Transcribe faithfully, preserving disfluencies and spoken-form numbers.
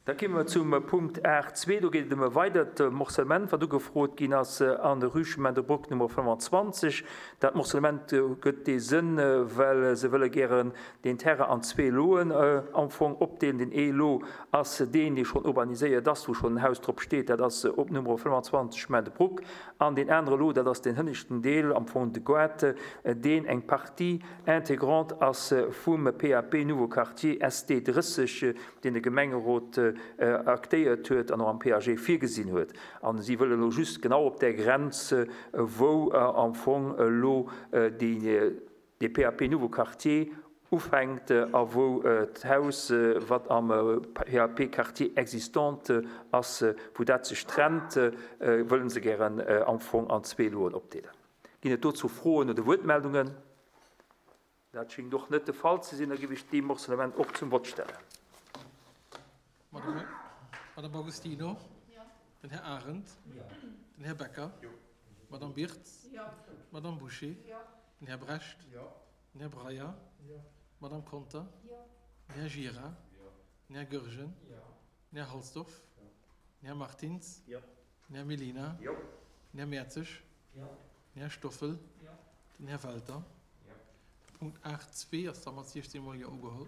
Da komme mer zum Punkt aacht zwee. Do geet et ëm e weidert Morcellement, wat ugefrot ginn ass an der Rue Chemin de Brook Nummer fënnefanzwanzeg. Dat Morcellement gëtt dee Sënn, well se wëlle gären deen Terrain an zwee Loen am Fong opdeelen. Den ee Lot ass deen, dee schonn urbaniséiert ass, wou schonn en Haus drop steet. Dat ass op Nummer fënnefanzwanzeg Chemin de Brook. An deen anere Lot, dat ass deen hënneschten Deel, am Fong de Goart, deen eng Partie intégrante ass vum P A P Nouveau Quartier S D drësseg, deen de Gemengerot aktéiert huet an och am P A G virgesinn huet. A si wëllen elo just genau op där Grenz, wou am Fong elo dee P A P Nouveau Quartier ufänkt a wou d'Haus, wat am P A P Quartier existant ass, wou dat sech trennt, wëllen se gären am Fong an zwee Loen opdeelen. Ginn et dozou Froen oder Wuertmeldungen? Dat schéngt och net de Fall ze sinn. Da géif ech dee Morcellement och zum Vott stellen. Madame Agostino? Den Här Arendt? Den Här Becker? Madame Birtz? Madame Boucher? Den Här Brecht? Den Här Breyer? Madame Conter? Den Här Gira? Den Här Goergen? Den Här Halsdorf? Den Här Martins? Den Här Mellina? Den Här Mertzig? Den Här Stoffel? Den Här Welter? Punkt aacht zwee ass da mat siechzéng mol Jo ugeholl.